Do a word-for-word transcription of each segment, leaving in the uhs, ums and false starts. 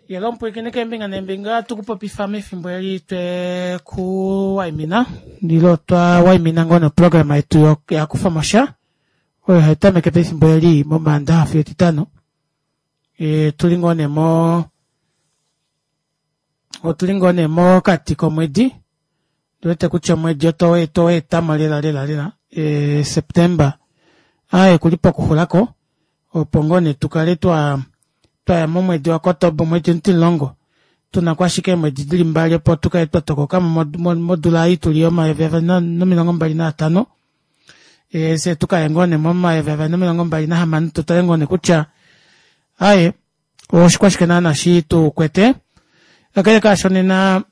Yelo omupwilikini keembinga neembinga tukupopifa mefimbo eli twekuwaimina ile otwa waimina ngoo nee oprograma yetu yakufamosha oyo haitameke pefimbo eli momandaxa fiyo etitano otuli ngoo nee moo otuli ngoo nee mokati komwedi ondiwete kutya omwedi otweetamo lela lela lela september aaye okuli pokuxulako opo ngoo nee tukale twaa twaya momwedi wa kotoba omwedi omutimulongo tunako ashike eemwedi dili mbali opo tukale twatokokamo modula ei tuli yomayovi avali nomilongo mbali nanhano fyee tukaye ngoo nee momayovi avali nomilongo mbali nahamano tutale ngoo nee kutya aaye oshikwashike naana shitukwete kakele kaasho nena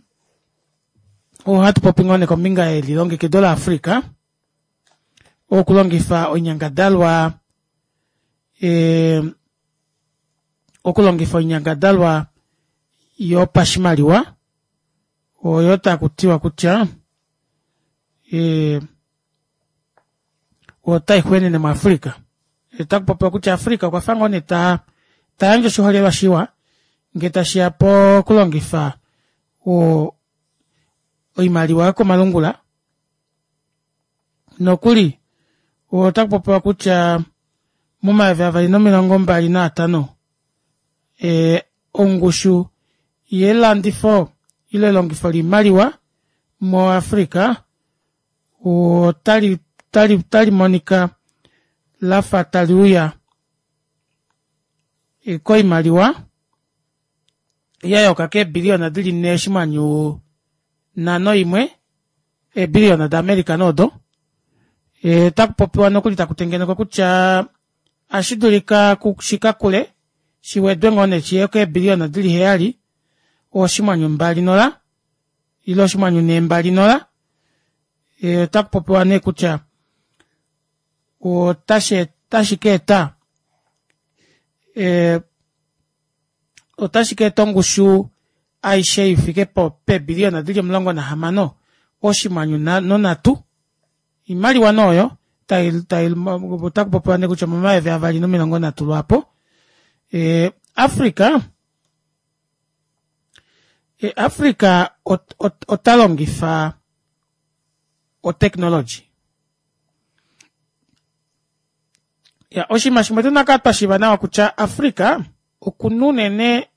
ohatupopi ngoo nee kombinga yelilongekido la africa okulongifa oinyangadalwa ee okulongifa oinyangadalwa yopashimaliwa oyo takutiwa kutya ee otaixwenene mu africa otakupopiwa kutya africa okwafa ngoo nee taa tayandje oshiholelwa shiwa ngee tashiya pokulongifa oo oimaliwa yokomalungula nokuli otakupopiwa kutya momayovi avali nomilongo mbali nanhano ee ongushu yelandifo ile elongifo loimaliwa mo africa otali otalimonika lafa taliuya koimaliwa yayooka keebillion dili nhee oshinghwanyu nhano imwe eebillion da america nee odo otakupopiwa nokuli takutengenekwa kutya ohashidulika shikakule shiwedwe ngoo nee shiye keebillion dili heyali oshinghwanyu mbali nola ile oshinghwanyu nhee mbali nola otakupopiwa nee kutya otashikaeta ee otashikaeta ongushu aishe ifike peebillion dili omulongo nahamano oshinghwanyu nonhatu oimaliwa nee oyo otakupopiwa nee kutya omomayovi avali nomilongo nhatu lwaapo africa africa otalongifa o technology iya oshinima shimwe tuna okukala twashiiva nawa kutya africa okuna unene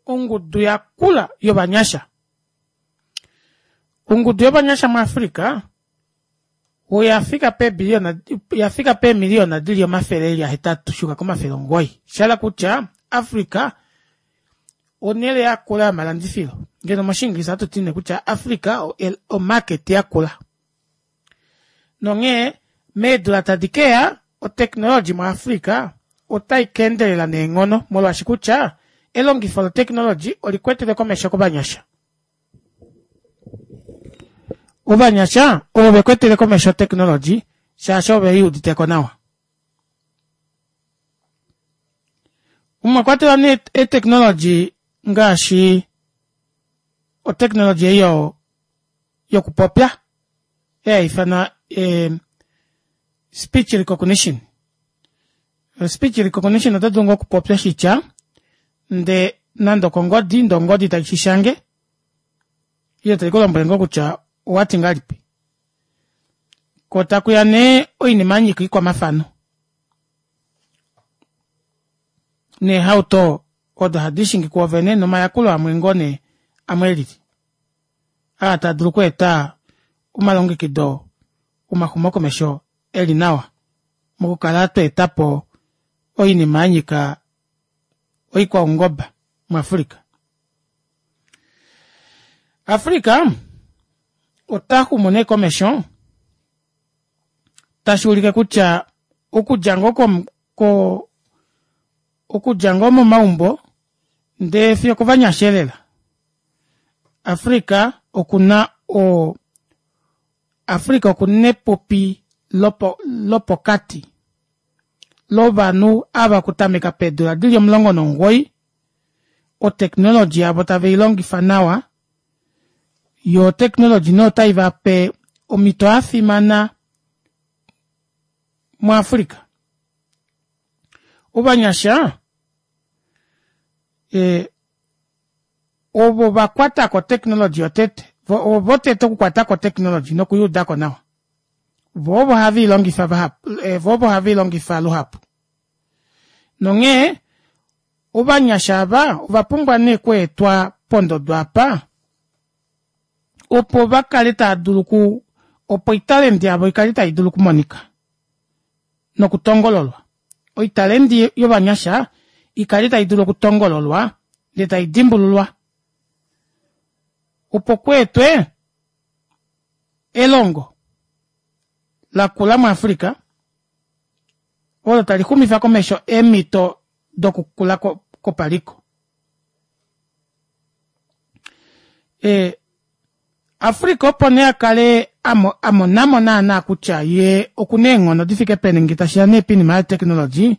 ongudu yakula yovanyasha ongudu yovanyasha mu africa oyafika peebillion oyafika peemiliona dili omafele eli ahetatu shuuka komafele omugoyi shahala kutya africa onele yakula yomalandifilo ngeno moshingilisa ohatuti nee kutya africa o market yakula nonghee meedula tadi keya o technology mu africa otaika endelela neenghono molwaashi kutya elongifo lo technology olikwetele komesho kovanyasha ovanyasha ovo vekwetele komesho o technology shaashi ovo yuuditeko nawa omwakwatelwa nee e technology ngaashi o technology ei yokupopya ei haifanwa speech recognition speech recognition otodulu ngoo okupopya oshitya ndee nande okongodi ndee ongodi taishishange ile taikulombwele ngoo kutya owati ngahelipi koo takuya nee oinima yanyika oikwamafano neehauto odo hadiishingi kuovene nomayakulo amwe ngoo nee amwe elili aa taadulu okweeta omalongekido omaxumokomesho eli nawa mokukala tweetapo oinima yanyika oikwaungoba mu africa. Africa otaxumu nee komesho tashuulike kutya okudja ngoo ko okudja ngoo momaumbo ndee fiyo okovanyasha elela africa okuna oo africa okuna epupi lopokati lovanhu ava okutameka peedula dili omulongo nomugoyi o technology yavo taveilongifa nawa yoo otechnology nee otaivape omito yafimana mu africa ovanyasha ee Ovo vakwata ko technology yotete, ovo votete okukwata ko technology nokuyuudako nawa. Vo ovo have ilongifa vahapu, vo ovo have ilongifa luhapu. Nonghee ovanyasha ava ovapumbwa nee okweetwa pondodo aapa opo vakale taadulu okuu opo oitalenti yavo ikale taidulu okumonika nokutongololwa. Oitalenti yovanyasha ikale taidulu okutongololwa ndee taidimbululwa opo kweetwe elongo lakula mu Africa olo talixumifa komesho eemito dokukula kwopaliko. Ee Africa opo nee akale amonamo naana kutya yee okuna eenghono difike peni ngee tashiya nee poinima yotechnology,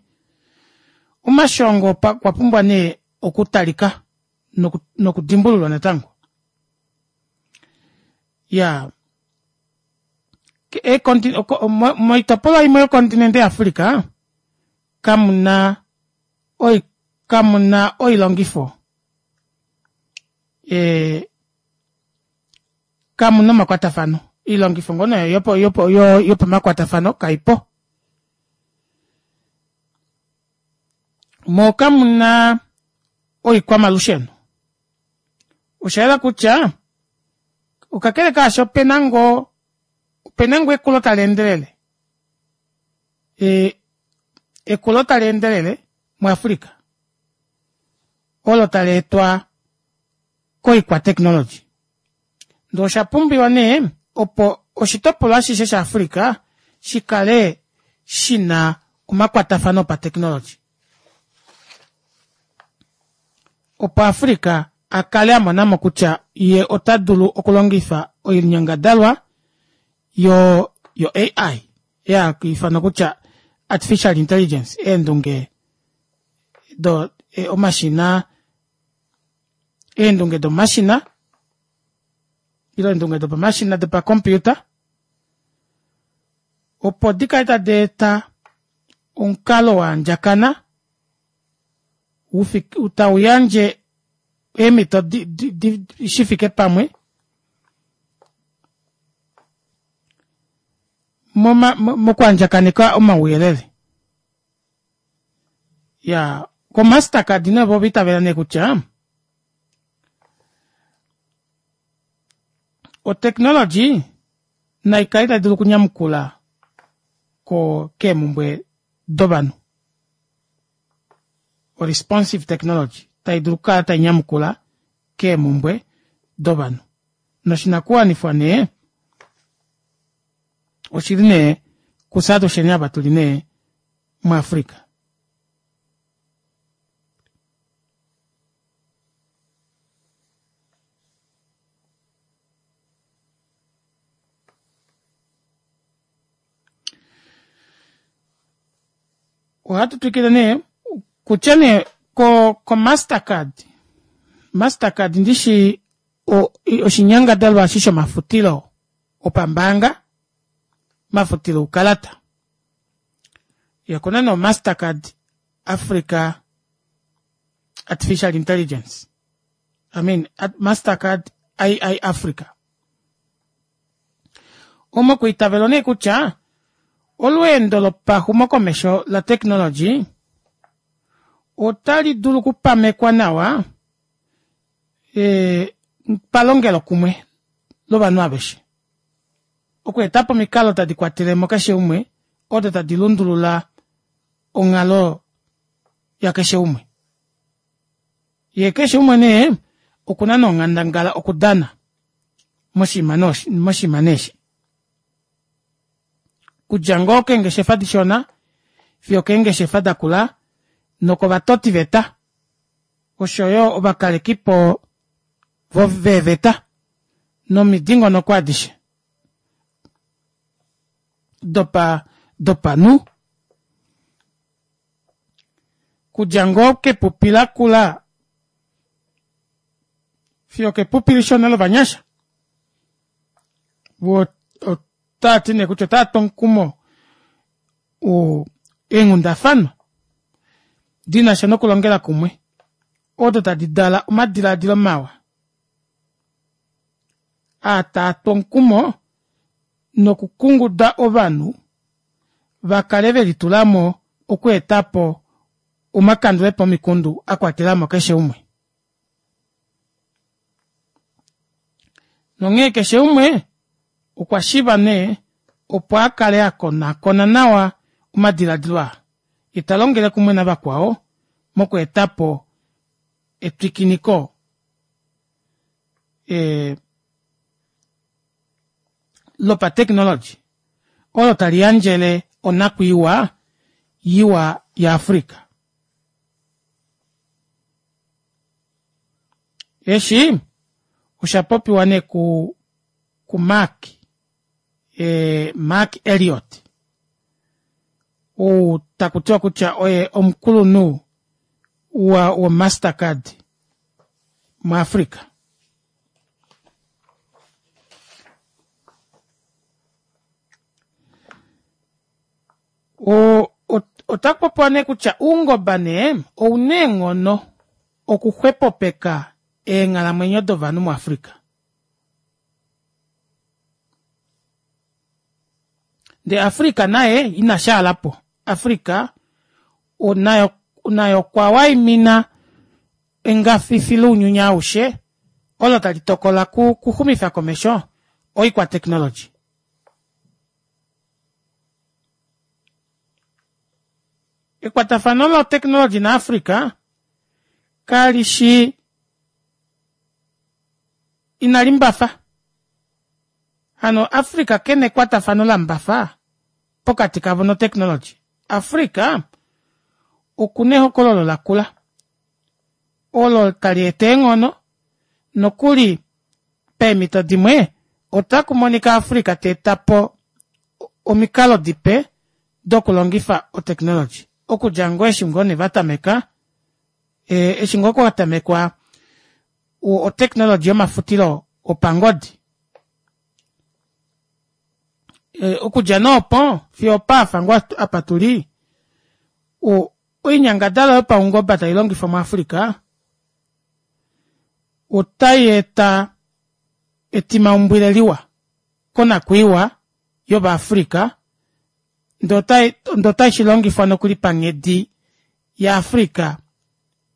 omashongo okwa pumbwa nee okutalika nokudimbululwa natango. Iyaa moitopolwa imwe yocontinent ya Africa kamuna kamuna oilongifo ee kamuna omakwatafano oilongifo ngoo nee yopamakwatafano kaipo moo kamuna oikwamalusheno oshayela kutya kakele kaasho opena ngoo opena ngoo ekulo taleendelele ee ekulo taleendelele mu Africa olo taleetwa koikwa technology ndee oshapumbiwa nee opo oshitopolwa ashishe sha Africa shikale shina omakwatafano opatechnology opo Africa akale amonamo kutya yee otadulu okulongifa oinyangadalwa yo yo A I hayiifanwa kutya artificial intelligence eendunge do omashina eendunge domashina ile eendunge dopamashina dopacomputer opo dikale tadi eta omukalo waandjakana tauyandje eemito shifike pamwe mokwaandjakaneka omauyelele. Iyaa ko mastercard nee vo ovaitavela nee kutya otechnology naikale taidulu okunyamukula keemumbwe dovanhu. O responsive technology taidulu okukala tainyamukula keemumbwe dovanhu. Noshinakuwanifwa nee oshili nee kufye atusheni ava tuli nee mu Africa. Ohatu twikile nee kutya nee ko ko mastercard mastercard ndishi oshinyangadalwa eshi shomafutilo opambaanga omafutilo oukalata yee okuna nee o mastercard Africa artificial intelligence I mean mastercard A I Africa omo kwiitavelwa nee kutya olweendo lopaxumokomesho la technology otali dulu okupamekwa nawa ee palongelokumwe lovanhu aveshe. Okweetapo omikalo tadi kwatelemo keshe umwe odo tadi lundulula onghalo yakeshe umwe. Yee keshe umwe nee okuna nee onghandangala okudana moshinima nee eshi. Okudja ngoo keengeshefa dishona fiyo okeengeshefa dakula nokovatotiveta oshoyo ovakalekipo veeveta nomidingonoko adishe dopa dopanhu. Okudja ngoo kepupi lakula fiyo okepupi lishona lovanyasha voo otaati nee kutya otaatu omukumo eenghundafana dinasha nokulongela kumwe odo tadi dala omadilaadilo mawa aa taatu omukumo nokukunguda ovanhu vakale velitulamo okweetapo omakandulepo omikundu akwatelamo keshe umwe. Nonghee keshe umwe okwa shivwa nee opo akale akonaakona nawa omadilaadilo aa yee talongele kumwe navakwao mokweetapo etwikiniko ee lopa technology olo taliyandjele onakwiiwa iwa ya africa. Eshi oshapopiwa nee ku ku Mark ee Mark Elliot ou takutiwa kutya oye omukulunhu wo Mastercard mu Africa. Otakupopiwa nee kutya oungoba nee ouna eenghono okuxwepopeka eenghalamwenyo dovanhu mu Africa. Ndee Africa naye inashaalapo Africa naye okwa waimina engafifi lounyuni aushe olo tali tokola okuxumifa komesho oikwa technology. Ekwatafano lo technology na Africa kalishi inalimbafa hano Africa kena ekwatafano lambafa pokati kavo no technology. Africa okuna ehokololo lakula olo tali eta eenghono nokuli peemito dimwe otakumonika Africa teetapo omikalo dipe dokulongifa o technology okudja ngoo eshi ngoo nee vatameka eshi ngoo kwatamekwa o technology yomafutilo opangodi okudja nee opo fiyo opaafa ngoo apa tuli oinyangadalwa yopaungoba tailongifwa mu Africa otayeeta etimaumbwile liwa konakwiiwa yova Africa ndee otaishilongifwa nokuli panghedi ya Africa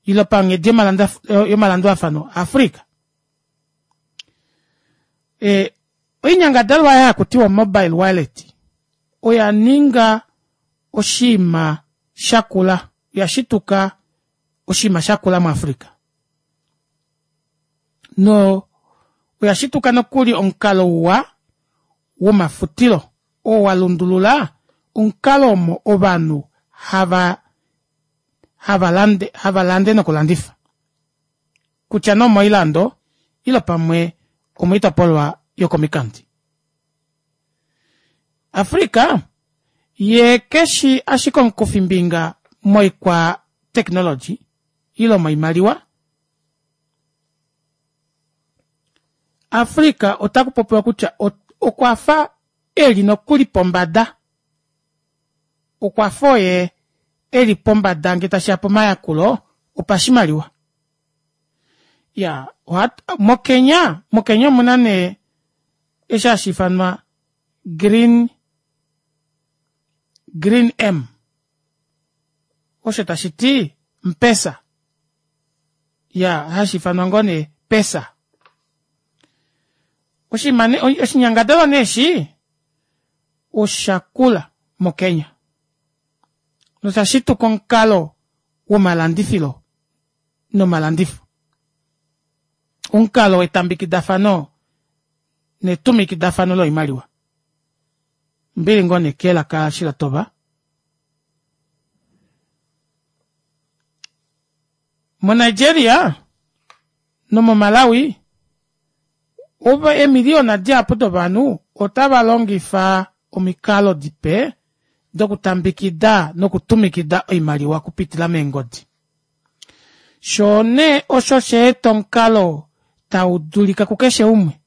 ile panghedi yomalandulafano a Africa. Oinyangadalwa aayo hakutiwa mobile wallet oyaninga oshiima shakula oyashituka oshiima shakula mu Africa noo oyashituka nokuli omukalo uwa womafutilo oo walundulula omukalo omo ovanhu hava havalande havalande nokulandifa kutya nee omoilando ile pamwe omoitopolwa yokomikandi. Africa yee keshi ashike omukufimbinga moikwa technology ile moimaliwa. Africa otakupopiwa kutya okwafa eli nokuli pombada okwafa oye eli pombada ngee tashiya pomayakulo opashimaliwa. Iyaa mo Kenya mo Kenya omuna nee eshi hashiifanwa green green M osho tashiti mpesa iyaa hashiifanwa ngoo nee pesa. Oshinima oshinyangadalwa nee eshi oshakula mo Kenya noshashituka omukalo womalandifilo nomalandifo omukalo wetambikidafano netumikidafano loimaliwa ombili ngoo nee kelaka eshi latova. Mo Nigeria nomo Malawi eemiliyona dihapu dovanhu otava longifa omikalo dipe dokutambikida nokutumikida oimaliwa okupitila meengodi. Shoo nee osho shaeta omukalo taudulika kukeshe umwe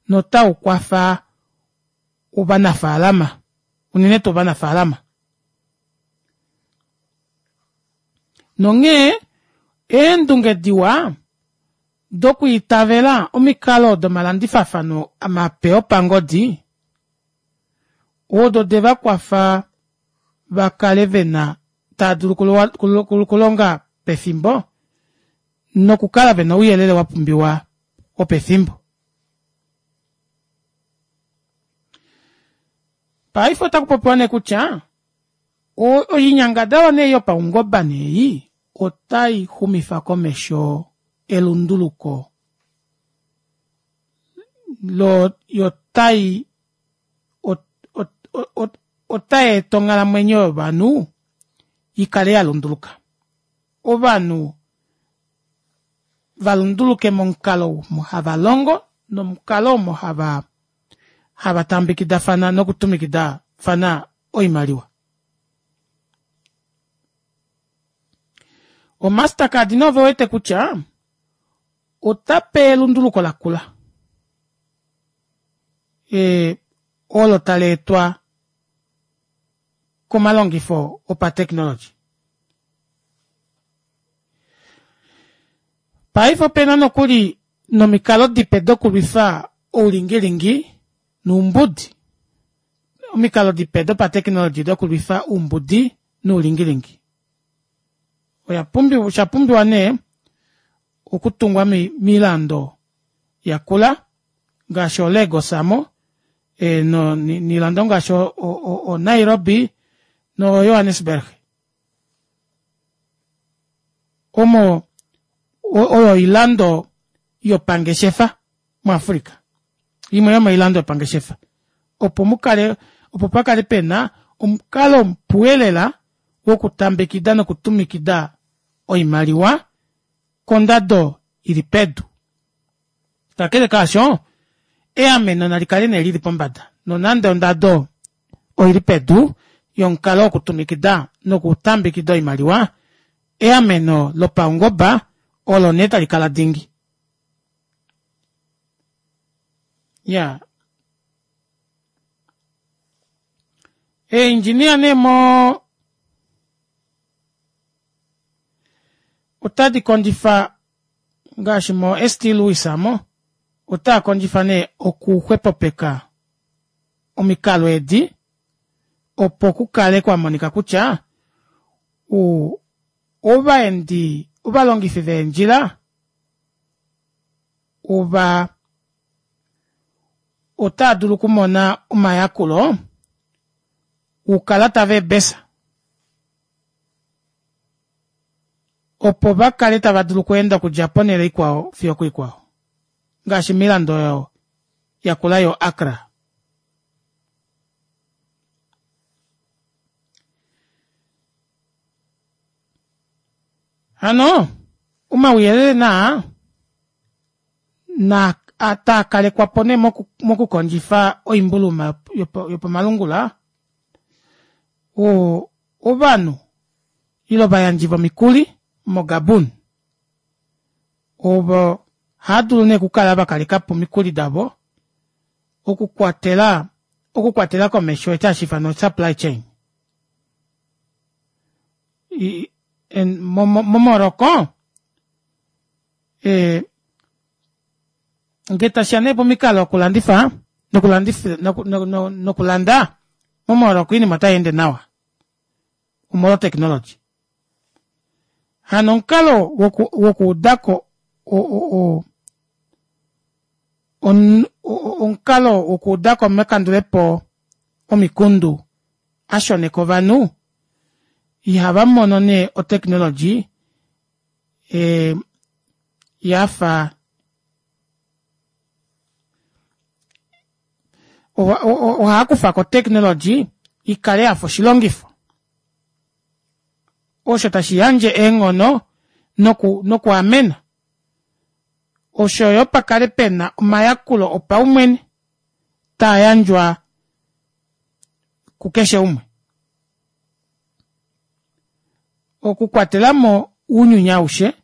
notaukwafa ovanafalama unene tuu ovanafalama. Nonghee eendunge diwa Dokwiitavela omikalo domalandifafano mape opangodi odo devakwafa vakale vena taadulu okulonga pefimbo nokukala vena ouyelele wapumbiwa wopefimbo. Paife otakupopiwa nee kutya oinyangadalwa nee yopaungoba nee otaixumifa komesho elunduluko loo yotai otayeeta onghalamwenyo yovanhu ikale yalunduluka ovanhu valunduluke momukalo omo havalongo nomukalo omo hava hava taambekidafana noku tumikidafana oimaliwa. O mastercard nee ovewete kutya otape elunduluko lakula ee olo taleetwa komalongifo opa technology. Paife opena nokuli nomikalo dipe dokulwifa oulingilingi noumbudi omikalo dipe dopa technology dokulwifa oumbudi noulingilingi oyapumbiwa oshapumbiwa nee okutungwa moilando yakula ngaashi o lagos aamo noilando ngaashi o nairobi no johannesburg omo oyo oilando yopangeshefa mu africa imwe yomoilando yopangeshefa opo mukale opo pakale pena omukalo mupu elela wokutambekida nokutumikida oimaliwa kondado ili pedu kakele kaasho eameno nalikale nee lili pombada nonande ondado oili pedu yomukalo wokutumikida nokutambekida oimaliwa eameno lopaungoba olo nee talikala dingi iyaa ee engineer nee moo otadi kondjifa ngaashi mo st louis aamo otaakondjifa nee okuxwepopeka omikalo edi opo kukale kwamonika kutya ovaendi ovalongifi veendjila ova otaadulu okumona omayakulo oukalata veebesa opo vakale tava dulu okweenda okudja ponele ikwao fiyo okuikwao ngaashi moilando oyo yakula yo accra. Hano omauyelele naa naa taakalekwapo nee mokukondjifa oimbuluma yopamalungula oo ovanhu ile ovayandji vomikuli mo gabon ovo ohaadulu nee okukala vakalekapo omikuli davo okukwatela okukwatela komesho eshi hashiifanwa supply chain momorocco ee ngee tashiya nee pomikalo dokulandifa nokulandifa nokulanda momorocco oinima otayeende nawa omolwo technology hano omukalo wokuudako omukalo wokuudako omakandulepo omikundu ashoneka ovanhu ihavamono nee o technology ee yafa ohaakufako o technology ikale yafa oshilongifo osho tashi yandje eenghono noku nokwaamena oshoyo pakale pena omayakulo opaumwene taayandjwa kukeshe umwe okukwatelamo ounyuni aushe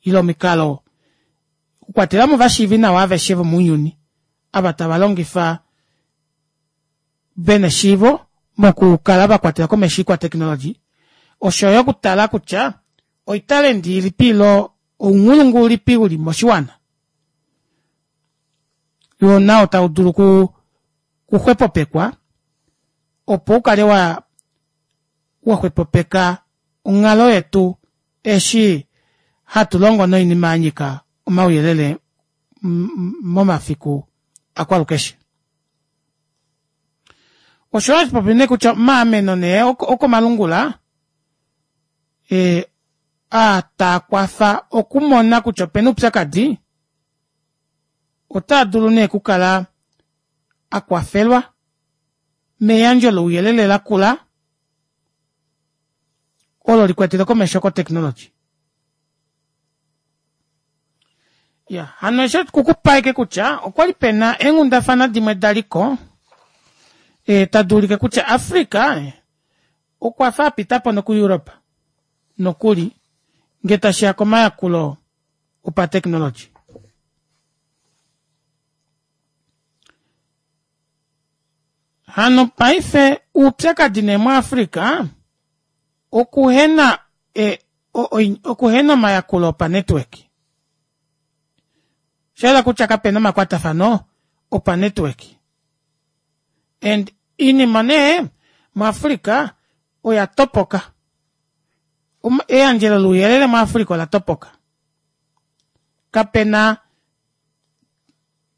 ile omikalo okukwatelamo ovashiivinawa aveshe vomounyuni ava tavalongifa vena eshiivo mokukala vakwatela komesho oikwa technology oshoyo okutala kutya oitalenti ilipi ilo Ounghulungu ulipi uli moshiwana yoo nao taudulu ku kuxwepopekwa opo ukale waa waxwepopeka onghalo yetu eshi hatulongo noinima yanyika omauyelele momafiku akwalukeshe. Osho hashipopi nee kutya omaameno nee okomalungula ee aa taakwafa okumona kutya opena oupyakadi otaadulu nee okukala akwafelwa meyandjo louyelele lakula olo likwetele komesho ko technology. Iya hano eshi okukupa ashike kutya okwali pena eenghundafana dimwe daliko ee taduulike kutya Africa okwafa apitapo noku Europe nokuli ngee tashiya komayakulo opa technology. Hano paife oupyakadi nee muAfrica okuhena e, okuhena omayakulo opa network. Oshahala kutya kapena omakwatafano opa network. And iinima nee muAfrica oya topoka. Eyandjelo louyelele muAfrica ola topoka. Kapena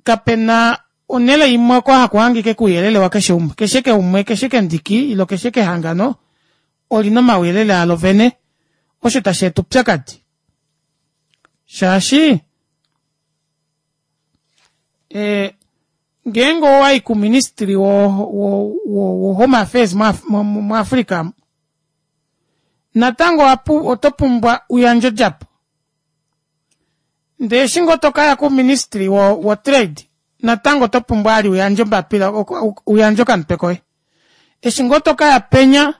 kapena onhele imwe oko haku hangike kouyelele wakeshe umwe. Keshe keumwe, keshe kendiki ile keshe kehangano olina omauyelele alo vene osho tashi eta oupyakadi. Shaashi ee ngeenge owayi kuministry wo, wo, wo, wo home affairs muAfrica natango oto pumbwa uyandje odjapo. Ndee eshi ngoo tokaya kuministry wo, wo trade natango oto pumbwa ali uyandje ombapila uyandje okamutwe koye. Eshi ngoo tokaya penya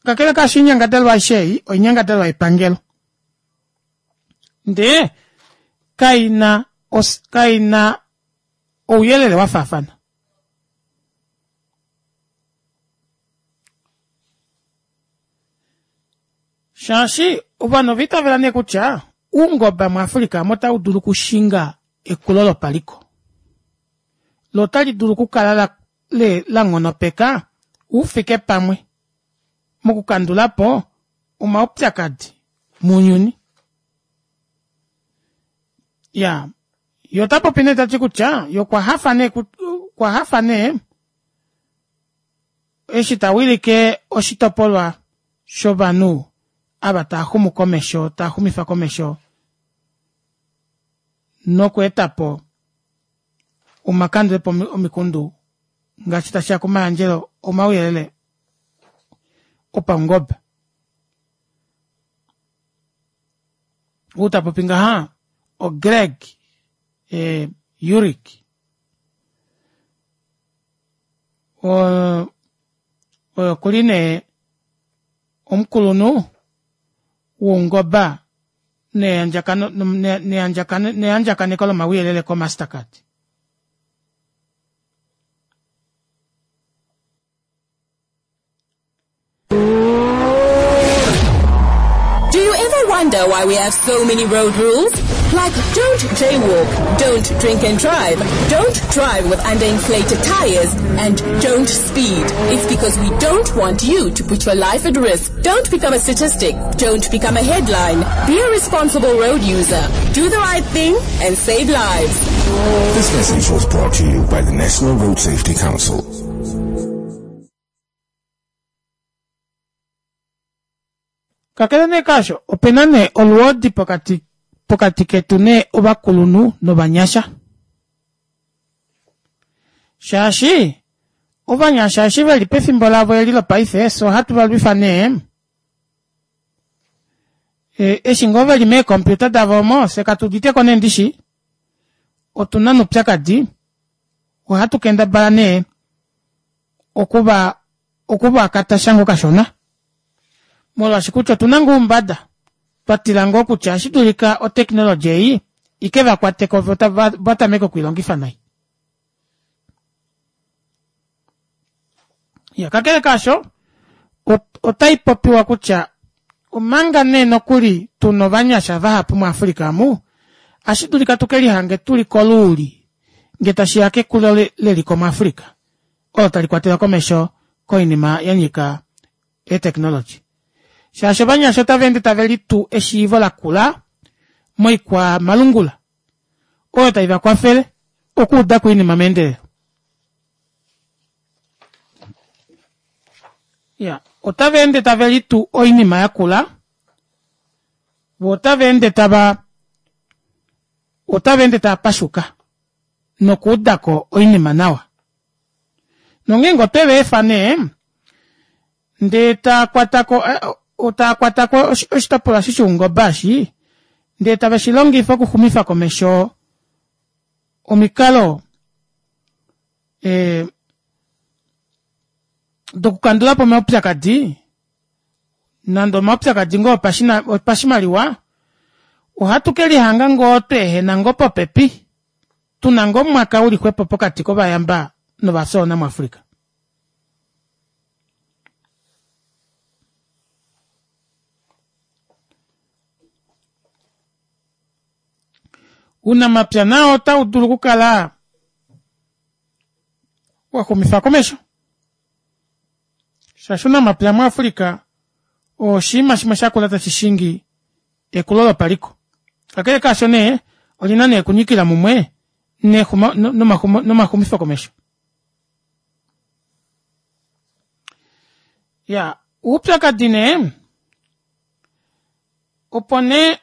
kakele kaasho oinyangadalwa aishe ei oinyangadalwa yepangelo. Ndee kaina kaina ouyelele wafaafana. Shaashi ovanhu ova itavela nee kutya oungoba muAfrica otaudulu okushinga ekulo lopaliko. Lo otali dulu okukala la nghonopeka ufike pamwe mokukandulapo omaupyakadi mounyuni. Ya, ye ota popi nee tati kutya ye okwa hafa nee okwa hafa nee eshi tawilike oshitopolwa shovanhu ava taaxumu komesho taaxumifa komesho nokweetapo omakandulepo omikundu ngaashi tashiya komayandjelo omauyelele opaungoba. Ou tapopi ngaha oGreg e, Urich. Oyo okuli nee omukulunhu woungoba neyandjakaneko lomauyelele ko Mastercard. Do you ever wonder why we have so many road rules? Like don't jaywalk, don't drink and drive, don't drive with underinflated tires, and don't speed. It's because we don't want you to put your life at risk. Don't become a statistic. Don't become a headline. Be a responsible road user. Do the right thing and save lives. This message was brought to you by the National Road Safety Council. Kakele nee kaasho, opena nee olwoodi pokati pokati ketu nee ovakulunhu novanyasha. Shaashi ovanyasha eshi veli pefimbo lavo eli lopaife so ohatu va lwifa nee e, eshi ngoo veli meecomputer davo omo fye katu uditeko nee ndishi otuna noupyakadi ohatu kendabala nee okuva okuva katasha ngoo kashona molwaashi kutya otuna ngoo oumbada twatila ngoo kutya ohashi dulika oteknologi ei ike vakwateko vo vatameke okwiilongifa nai. Ya kakele kaasho otai popiwa kutya Omanga nee nokuli tuna ovanyasha vahapu muAfrika omu, ohashi dulika tukelihange tuli koluuli ngee tashiya kekulo leliko muAfrika olo tali kwatelwa komesho koinima yanyika ee technology shaashi ovanyasha otavaende tavelitu eshiivo lakula moikwa malungula oyo taivakwafele okuudako oinima meendelelo. Iyaa otavaende tavelitu oinima yakula voo otavaende tava otavaende tavapashuka nokuudako oinima nawa. Nongeenge otwe vaefa nee ndee taakwatako taakwatako oshitopolwa eshi shoungoba eshi ndee tave shilongifa okuxumifa komesho omikalo ee dokukandulapo omaupyakadi nande omaupyakadi ngoo opashimaliwa ohatu kelihanga ngoo tweehena ngoo popepi tuna ngoo omwaka uli xwepo pokati kovayamba novafyoona mu Africa. Ounamapya nao otaudulu okukala waxumifwa komesho shaashi ounamapya mu africa oo oshiima shimwe shakula tashi shingi ekulo lopaliko kakele kaasho nee olina nee okunyikila mumwe nomaxumifo komesho. Iyaa oupyakadi nee opo nee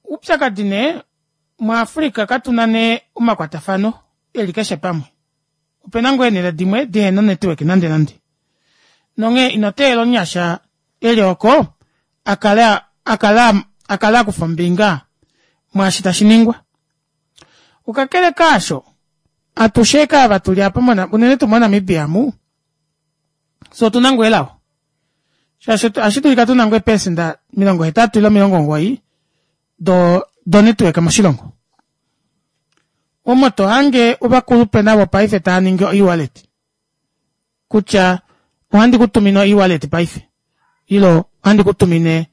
oupyakadi nee mu africa katuna nee omakwatafano eli keshe pamwe opena ngoo eenele dimwe dihena o network nande nande nonghee inoteelela omunyasha eli ooko akale akale akale akufa ombinga mwaashi tashiningwa. Kakele kaasho atushe ashike ava tuli aapa unene tuu mo namibia omu fyee otuna ngoo elao shaashi ohashidulika tuna ngoo eeprecenter omilongo hetatu ile omilongo omugoyi do network moshilongo omo tohange ovakulupe navo paife taaningi o ewallet kutya ohandi kutumine o ewallet paife ile ohandi kutumine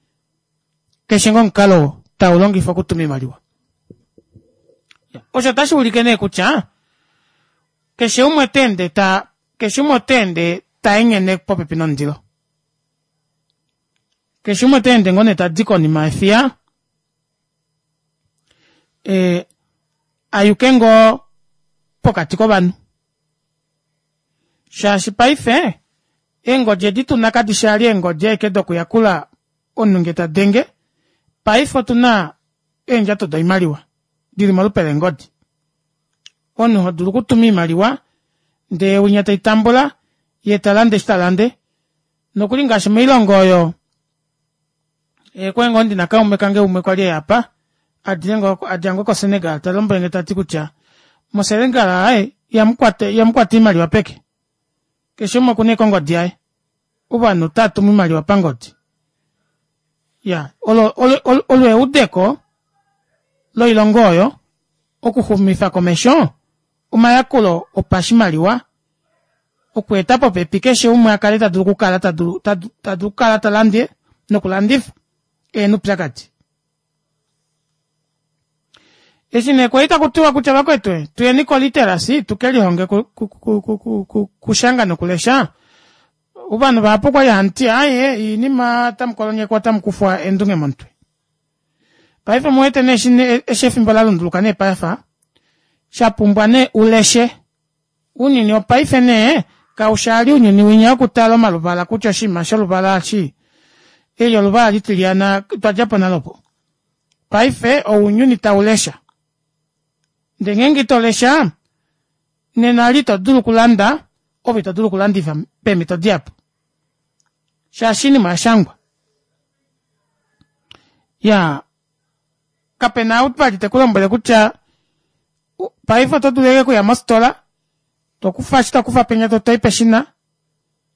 keshe ngoo omukalo taulongifwa okutuma oimaliwa. Osho ota shuulike nee kutya keshe umwe otaende taa keshe umwe otaende taenghene popepi nomundilo. Keshe umwe otaende ngoo nee tadi konima yefiya ee ayuke ngoo pokati kovanhu shaashi paife eengodi edi tuna kadishi vali eengodi ashike dokuyakula omunhu ngee tadenge paife otuna eendjato doimaliwa dili molupe leengodi omunhu hodulu okutuma oimaliwa ndee winya teitambula yee talande eshi talande nokuli ngaashi moilongo oyo okwali ngoo ndina kaume kange umwe kwali eya aapa adja ngoo ko senegal talombwelenge tati kutya mo senegal aaye ihamukwata oimaliwa peke keshe umwe okuna ashike ongodi yaye ovanhu otaatumu oimaliwa pangodi iyaa olo olo eudeko loilongo oyo okuxumifa komesho omayakulo opashimaliwa okweeta popepi keshe umwe akale tadulu okukala tadulu tadulu okukala talande nokulandifa ehena oupyakadi. Eshi nee kwali takutiwa kutya vakwetu tuyeni ko literacy tukelihonge okushanga nokulesha ovanhu vahapu okwali hamuti aaye oinima otamukolonyekwa otamukufwa eendunge momutwe. Paife omuwete nee eshi efimbo lalunduluka nee paife shapumbwa nee uleshe ounyuni wopaife nee kaushi ounyuni winya wokutala omaluvala kutya oshinima sholuvala eshi eli oluvala litilyana otwadjapo nale opo. Paife ounyuni taulesha ndee ngeenge itolesha nena eli itodulu okulanda ove itodulu okulandifa peemito dihapu shaashi oinima oyashangwa. Iyaa kapena ou vali tekulombwele kutya paife otodulu ashike okuya mofitola tokufa eshi tokufa penya toyi peshina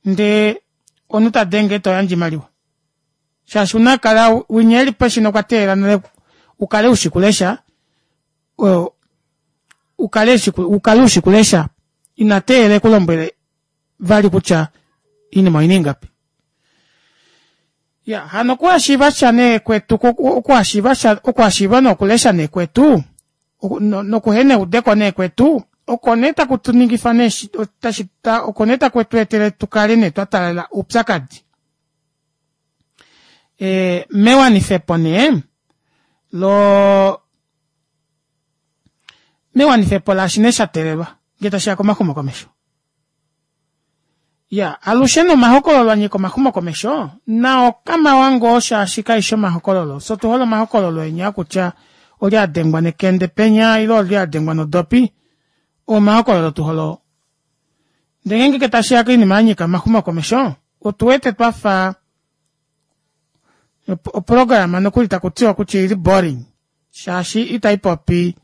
ndee omunhu tadenge toyandje oimaliwa shaashi ouna okukala winya eli peshina okwa teelela nale ukale ushi okulesha ukale ushi okulesha ina teelela ekulombwele vali kutya oinima oina ingapi. Ya hano okuhashiiva sha nee kwetu okuhashiiva sha okuhashiiva nokulesha nee kwetu nokuhena eudeko nee kwetu oko nee taku tuningifa nee oko nee taku tweetele tukale nee twataalela oupyakadi ee mewanifepo nee loo mewanifepo laashi nee shateelelwa ngee tashiya komaxumokomesho. Iyaa alushe nee omahokololo anyika omaxumokomesho nao kamawa ngoo shaashi kaifi omahokololo fyee otuhole omahokololo enya okutya olye adengwa nekende penya ile olye adengwa nodopi oo omahokololo tuhole oo. Ndee ngenge tashiya koinima yanyika omaxumokomesho otuwete twafa oprograma nokuli takutiwa kutya oili boring shaashi itaipopi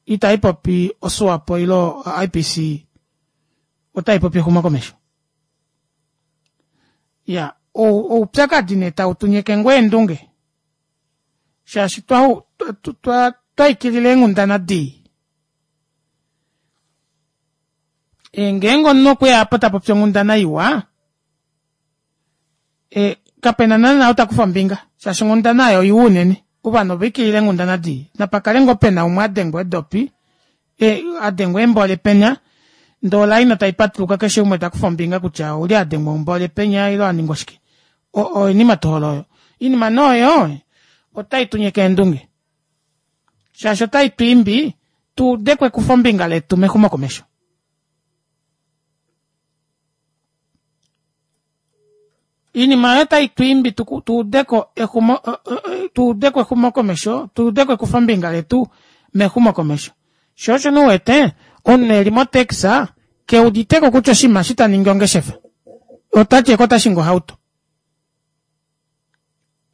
itaipopi o swapo ile o I_P_C otaipopi exumokomesho. Iyaa oupyakadi nee tautunyeke ngoo eendunge shaashi twaikilila eenghundana dii. Ngeenge omunhu okweya aapo tapopi onghundana iwa kapena naana ou takufa ombinga shaashi onghundana aayo oiwa unene ovanhu ovaikilila eenghundana dii napakale ngoo pena umwe adengwa eedopi adengwa eembole penya ndee olaina taipatuluka keshe umwe takufa ombinga kutya oulye adengwa ombole penya ile aningwa shike oinima tuhole oyo. Oinima nee oyo otaitunyeke eendunge shaashi ota itwiimbi tuudeko ekufombinga letu mexumokomesho. Oinima aayo ota itwiimbi tuudeko tuudeko exumokomesho tuudeko ekufombinga letu mexumokomesho shoo osho nee uwete omunhu eli mo taxi keuditeko kutya oshinima eshi taningi ongeshefa otati ashike otashingi ohauto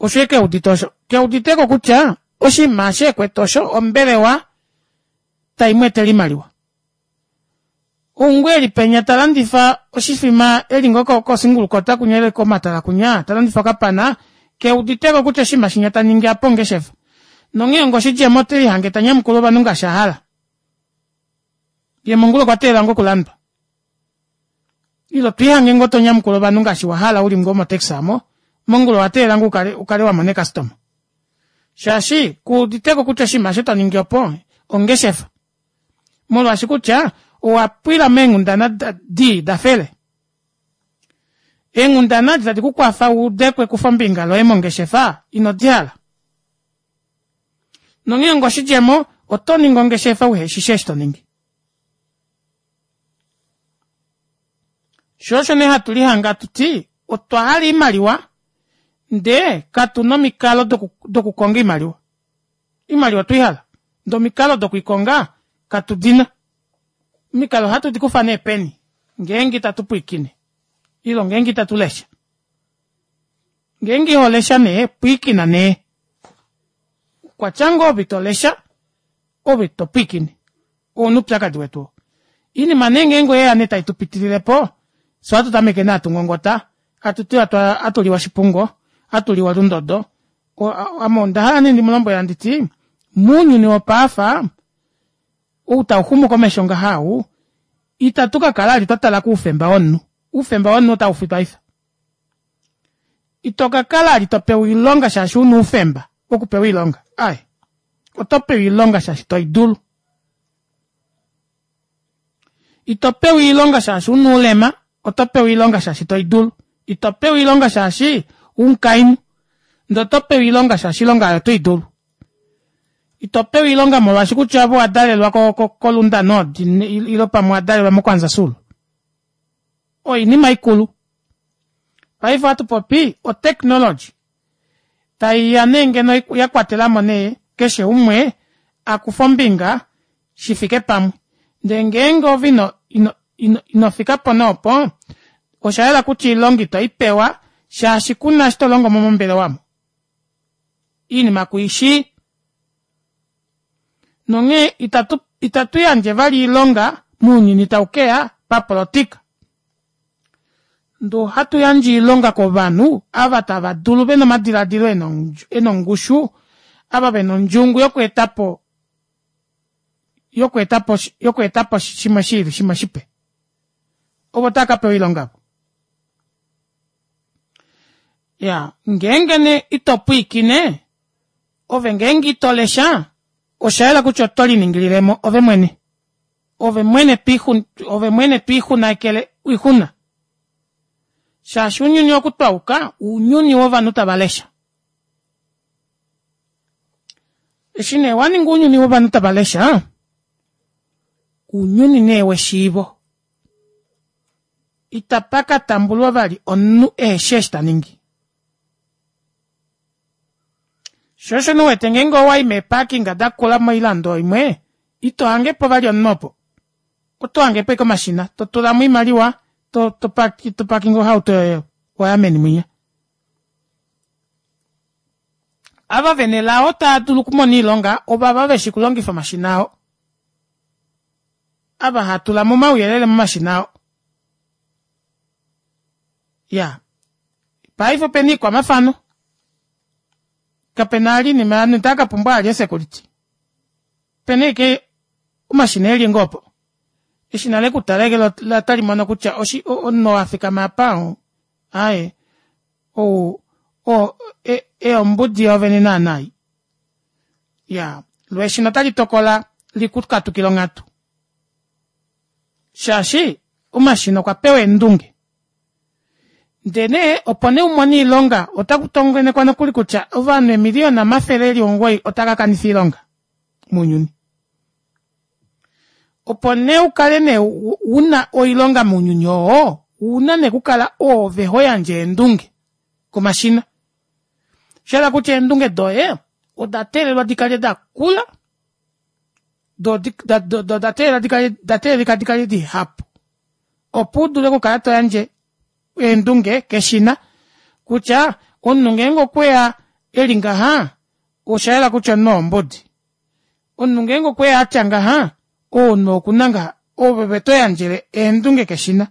osho ashike eudite osho keuditeko kutya oshinima eshi ekwete osho ombelewa taimweetele oimaliwa. Oungoo eli penya talandifa oshifima eli ngoo ko single quota kunya ile komatala kunya talandifa okapana keuditeko kutya oshinima shinya taningi aapa ongeshefa nonghee onga oshidjemo otelihange tanyamukula ovanhu ngaashi ahala yee mongula okwa teelela ngoo okulandwa ile otwiihange ngoo tonyamukula ovanhu ngaashi wahala uli ngoo mo taxi aamo mongula owateelela ngoo ukale wamona ee customer shaashi kuuditeko kutya oshinima osho toningi opo ongeshefa molwaashi kutya owapwila meenghundana dii dafele. Eenghundana edi tadi kukwafa wuudeko ekufombinga loye mongeshefa ino dihala nonghee onga oshidjemo otoningi ongeshefa uheshishi eshi toningi. Shoo osho nee hatu lihange atuti otwa hala oimaliwa ndee katuna omikalo dokukonga oimaliwa. Oimaliwa otweihala ndee omikalo dokwiikonga katudina. Omikalo ohatu dikufa nee peni ngeenge ita tupwiikine ile ngeenge ita tulesha. Ngeenge iholesha nee pwiikina nee okwatya ngoo ove itolesha ove itopwiikine ouna oupyakadi wetu oo. Oinima nee ngenge oyeya nee taitupitililepo fyee ohatu tameke nee hatungongota hatuti atuliwa oshipungo atuliwa olundodo ame ondahala nee ndimulombwele handiti mounyuni wopaife ou tauxumu komesho ngaha ou ita tukakala vali twatala koufemba womunhu oufemba womunhu otaufi paife. Ito kakala vali topewa oilonga shaashi una oufemba wokupewa oilonga aaye otopewa oilonga shaashi toidulu. Ito pewa oilonga shaashi una oulema otopewa oilonga shaashi toidulu. Ito pewa oilonga shaashi umukainhu ndee otopewa oilonga shaashi oilonga aayo otoidulu. Ito pewa oilonga molwaashi kutya ove owadalelwa ko lunda nord ile pamwe owadalelwa mo kwanza sul oinima ikulu. Paife ohatupopi o technology taiya nee ngeno yakwatelamo nee keshe umwe akufe ombinga shifike pamwe ndee ngeenge ove ino ino inofikapo nee opo oshayela kutya oilonga itoipewa shaashi kuna eshi tolongomo mombelewa aamo oinima kuishi nonghee itatu itatu yandje vali oilonga mounyuni taukeya papolitika ndee ohatu yandje oilonga kovanhu ava tava dulu vena omadilaadilo ena ongushu ava vena ondjungu yokweetapo yokweetapo yokweetapo shimwe shiili shimwe shipe ovo tava kapewa oilonga aavo. Ya, ngeenge nee ito pwiikine, ove ngeenge ito lesha, osha yela kutya oto liningililemo ove mwene. Ove mwene twiixun, ove mwene twiixunakele oixuna. Shaashi ounyuni oku twauka, ounyuni wovanhu tava lesha. Eshi nee waninga ounyuni wovanhu tava lesha, ounyuni nee weshiivo. Itapa ka tambulwa vali omunhu eheshi eshi taningi. Sho osho nee uwete ngeenge owayi meeparking dakula moilando imwe, ito hangepo vali omunhu opo. Oto hangepo ashike omashina, totulamo oimaliwa, to to parkinge ohauto yoye waya meni mwinya. Ava vena elao taadulu okumona oilonga ovava veshi okulongifa omashina oo. Ava hatulamo omauyelele momashina oo. Iyaa, paife opena oikwamafano, kapena vali oinima ovanhu itava kapumbwa vali eesecurity. Opena ashike omashina eli ngoo opo. Eshina lekutala ashike loo otalimono kutya oshi omunhu oo afikama aapa aaye ou o ombudi yoovene naana ei. Iyaa, loo eshina otali tokola likukatukile onghatu. Shaashi omashina okwa pewa eendunge. Ndee nee opo nee umone oilonga otaku tongenekwa nokuli kutya ovanhu eemiliyona omafele eli omugoyi otava kakanifa oilonga mounyuni. Opo nee ukale nee una oilonga mounyuni oo, ouna nee okukala oove hoyandje eendunge komashina. Oshahala kutya eendunge doye oda teelelwa dikale dakula, doo oda teelelwa oda teelelika dikale dihapu opo udule okukala toyandje eendunge keshina kutya omunhu ngeenge okweya eli ngaha oshayela kutya omunhu oo ombudi. Omunhu ngeenge okweya atya ngaha omunhu oo okuna ngaha, ove toyandjele eendunge keshina.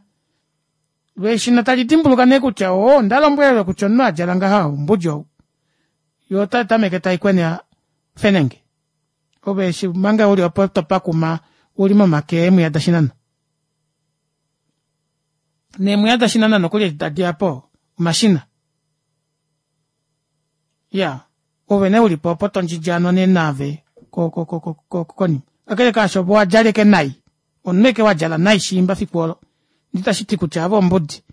Loo eshina tali dimbuluka nee kutya oo ondalombwelelwe kutya omunhu adjala ngaha ombudi ou. Yoo otaitameke taikwena fenenge. Ove eshi omanga uli opo topakuma uli momake eemwiya dashinana. Neemwiya dashinana nokuli edi tadiyapo omashina. Iyaa, ove nee ulipo opo tondjidjaano nee naave ko- ko- ko konima. Kakele kaasho ove owadjala ashike nai, omunhu ashike wadjala nai shiimba fiku olo ndee itashiti kutya ove ombudi.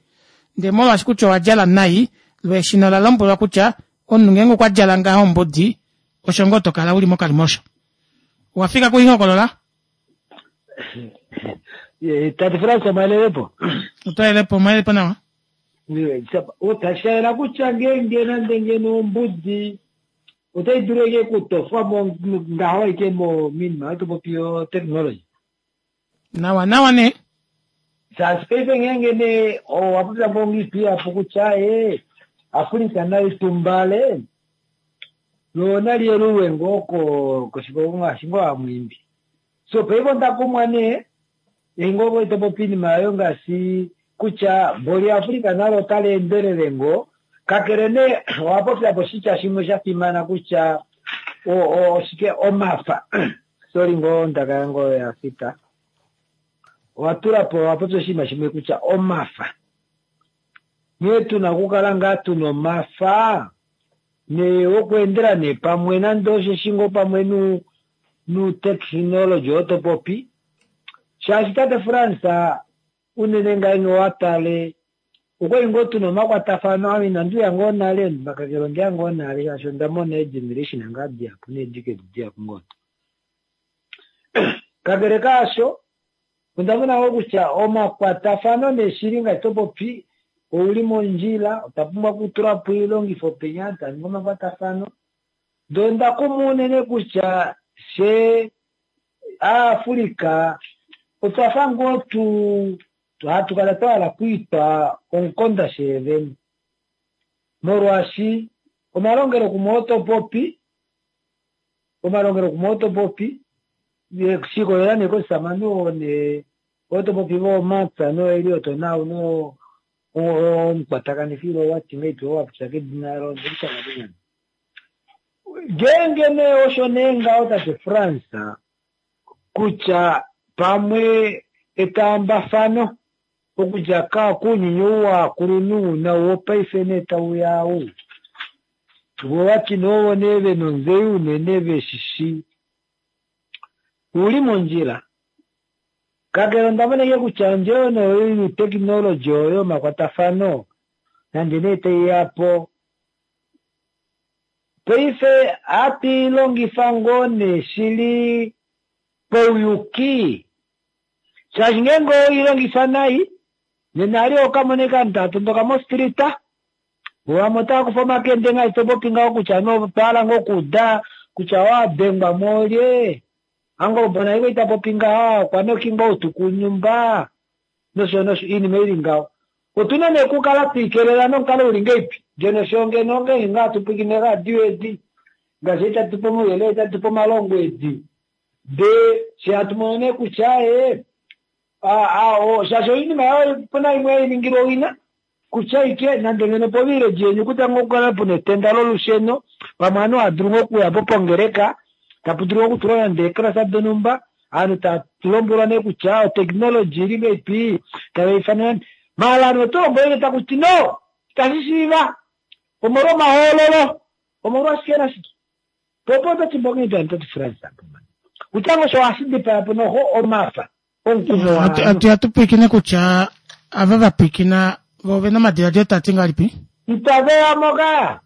Ndee molwaashi kutya owadjala nai loo eshina ola lombwelwa kutya omunhu ngeenge okwadjala ngaha ombudi osho ngoo tokala uli mokalimosho. Owafika kuihokolola? Tate Frans omwalelepo. Otwalelepo, omwalelepo nawa. Tashi yela kutya ngeenge nande ngeno ombudi otai dulu ashike okutofwa mo ngaho ashike mominima oyo topopi yo technology. Nawa nawa nee. Shaashi paife ngeenge nee owa popya ngoo ngiipi kutya ee Africa nali tumbale loo nali yelulwe ngoo koshikongo ngaashi ngoo hamwiimbi. So paife onda kumwa nee eshi ngoo topopi oinima oyo ngaashi kutya mboli Africa nalo otali endelele ngoo, kakele nee owa popya po oshitya shimwe sha fimana kutya oshike omafa. Sorry ngoo ondaka yange oyo ya fita. Owa tula po owa popya oshinima shimwe kutya omafa. Nghee tuna okukala ngaa tuna omafa nee okweendela nee pamwe nande osheshi ngoo pamwe nu nu-technology oo topopi. Shaashi tate Frans unene ngeenge owa tale okwali ngoo tuna omakwatafano ame inandi uya ngoo nale kakele ondeya ngoo nale shaashi onda mona eegeneration ngaa dihapu needecade dihapu ngoo. Kakele kaasho onda mona ngoo kutya omakwatafano nee ngaashi topopi ouli mondjila, otwa pumbwa okutula po oilongifo penya taningi omakwatafano. Ndee onda kumwa unene kutya fye aAfrica otwafa ngoo tu hatu kala twa hala okwiitwa omukonda sheevene molwaashi omalongelokumwe oo topopi omalongelokumwe oo topopi shikolela nee koshisamane oo nee oo topopi voomapya noElliot nau no omukwatakanifi wati ngahelipi oo wapopya kedina olo ondelishanga konyama. Ngeenge nee osho nee ngaho tate Frans kutya pamwe etaambafano Okudja kuunyuni ou waakulunhu nau wopaife nee tauya ou. Vo vati nee ovo nee vena ontseyo unene veshishi. Uli mondjila. Kakele onda mona ashike kutya ondjelo nee youtekinology oyo yomakwatafano nande nee taiya po paife ohatu i longifa ngoo nee shili pauyuki shaashi ngeenge oweilongifa nai nena ali okamona ovanhu tava tondoka mostrita vamwe otava kufa omakende ngaashi topopi ngaho kutya no otwahala ngoo okuuda kutya owadengwa moolye angolobona iko ita popi ngaha okwa noki ngoo outuku nyumba nosho nosho iinima ili ngaho. Otuna nee okukala twiikelela nomukalo uli ngeipi ngeno sho ngeno ngenge ngaa tupwikine radio edi ngaashi itatu pe omauyelele itatu pe omalongo edi ndee she hatu mono nee kutya ee shaashi oinima yayo opuna imwe hainingilwa owina kutya ike nande ngeno povillage yeni kutya ngoo okukala puna etenda lolusheno pamwe ovanhu ohadulu ngoo okuya po pongeleka tapu dulu okutulwa nande eeklasa donhumba ovanhu tava lombwelwa nee kutya otechnology ili ngeipi tava ifanwa maala ovanhu oto lombwele takuti no itashi shiiva omolwa omahoololo omolwashike nashike popo ototi mbongeni toti France kutya ngoo osho ohashi dipaya po noho omafa omukumo atu atupwikine kutya ava vapwikina vo ovena omadiladilo tati ngahelipi itaveya moka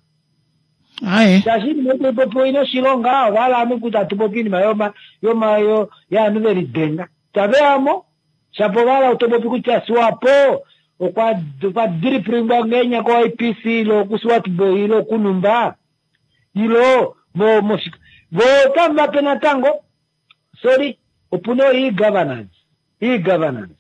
aye shaashi iinima itaipopi oina oshilonga ovahala ovanhu kutya atupopi iinima yoma yoma yaanhu velidenga itaveyamo shapo ovahala otopopi kutya Swapo okwa okwa dripringwa ngenya ko I P C ilo kuSwartbooi ilo kunumba ilo mo mo vo otamu vape natango sorry opuna e-governance e-governance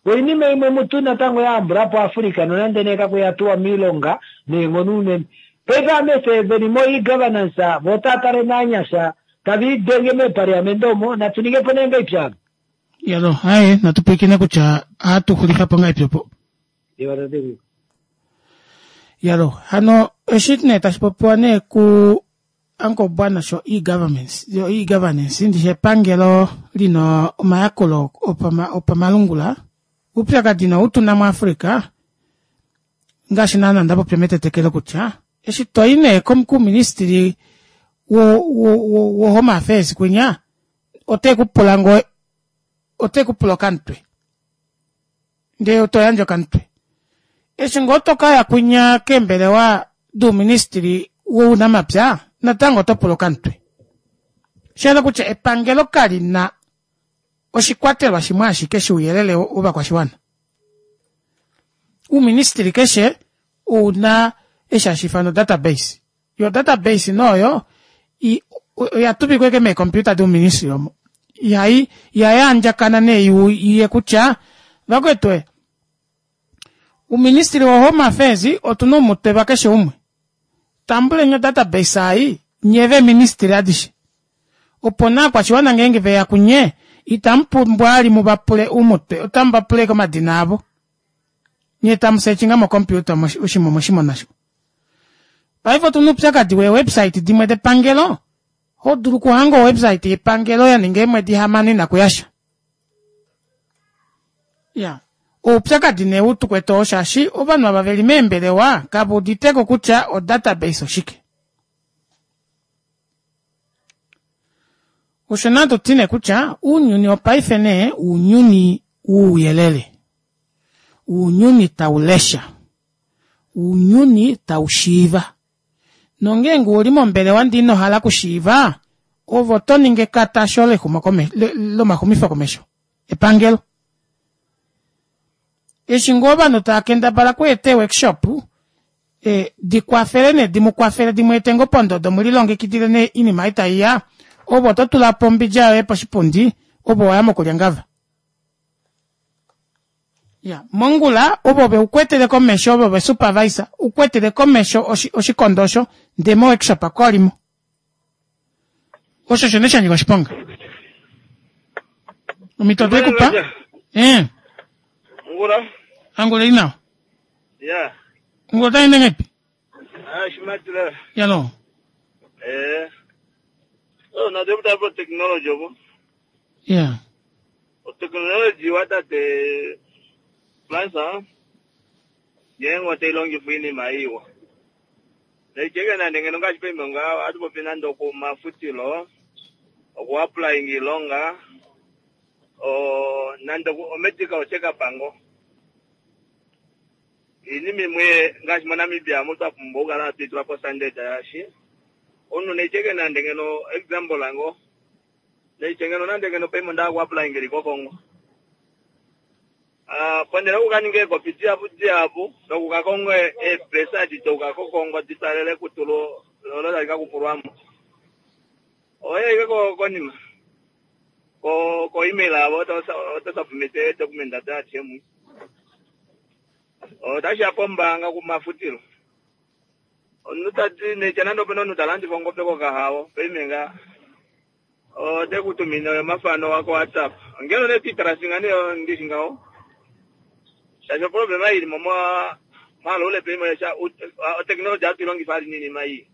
oinima imwe mutu natango yahambulapo Africa nonande nee kakuya tuwa miilonga neenghono unene paife amese veli mo e-governance vo otava tale naanyasha tava idenge meepaliamente omo natu ningepo nee ngaipi yalo aye natupwikine kutya ohatu xulifa po ngaipi opo yalo hano eshi nee tashi popiwa nee ku Uncle Bwana sho e-governance yo e-governance ndishi epangelo lina omayakulo opama opamalungula upyakadi no utuna muAfrica ngaashi naana ndapopya metetekelo kutya eshi toyi nee kuministry wo wo wo home affairs kwinya ote kupula ngoo ote kupula okamutwe ndee otoyandja okamutwe eshi ngoo tokaya kwinya keembelewa douministry wounamapya natango oto pula okamutwe shahala kutya epangelo kalina oshikwatelwa shimwe ashike shouyelele wovakwashiwana uuministry keshe ouna eshi hashi ifanwa database yo database noyo oya tuvikwa ike meecomputer douministry omo ihai ihai andjakana nee iye kutya vakwetu uuministry wo home affairs otuna oumutwe vakeshe umwe tambuleni odatabase ai nye veministry adishe opo naakwashiwana ngeenge veya kunye itamu pumbwa ali muvapule oumutwe otamu vapule komadina avo nye tamu sechinga mocomputer oshimwe omoshimona sho paife otuna oupyakadi wee-website dimwe depangelo ho dulu okuhanga owebsite yepangelo yaninga eemwedi hamano inakuyasha ya oupyakadi nee utukwete oo shaashi ovanhu ava veli meembelewa kava uditeko kutya odatabase oshike osho natu tine kutya uunyuni wopaife nee uunyuni wouyelele uunyuni taulesha uunyuni taushiiva nongeenge uli mombelewa ndee inohala okushiiva ovo toningi ekatasho lomaxumifo komesho epangelo eshi ngoo ovanhu tava kendabala okweeta eeworkshop e, dikwafele nee dimukwafele dimweete ngoo pondodo mulilongekidile nee iinima ei taiya ovo oto tulapo ombidja yoye poshipundi ovo waya mokulya ngava ya mongula ovo veukwetele komesho ovo vesupervisor ukwetele komesho oshikondo osho ndee mo workshop kolimo osho shone shanyika oshiponga omito dekupa eh Ngula. Angula ili nawa Ya. ngula otaende ngaipi Ah, shimatila. yalo Eh. Oh, na deputa po technology opo. yeah O technology watate Plus ngeenge otailongifwa oinima iwa naicheke nande ngeno ngaashi paima nga ohatupopi nande okumafutilo okuapplyinga iilonga o nande omedical check up ngo iinima imwe ngaashi moNamibia omu twapumbwa okukala hatu itula po standard yaashi omunhu naicheke nande ngeno example ngo naiche ngeno nande ngeno paima onda okuapplyinga li koKongo Ah, ponele okukaninga eekopi dihapu dihapu nokukakonga eepresa edi douka koKongo ditalele kutulo lolo tali kakupulwamo oye ike konima ko ko email avo oto submit edocument adishe mu otashiya pombaanga kumafutilo omunhu tati neitya nande opena omunhu talandifa ongobe kokahao paime nga otekutumine omafano wako WhatsApp ongele nee twitrasinga nee ndishi ngaho shaashi oproblema ilimo mwaloule paime oteknology hatu ilongifa ali ninima ii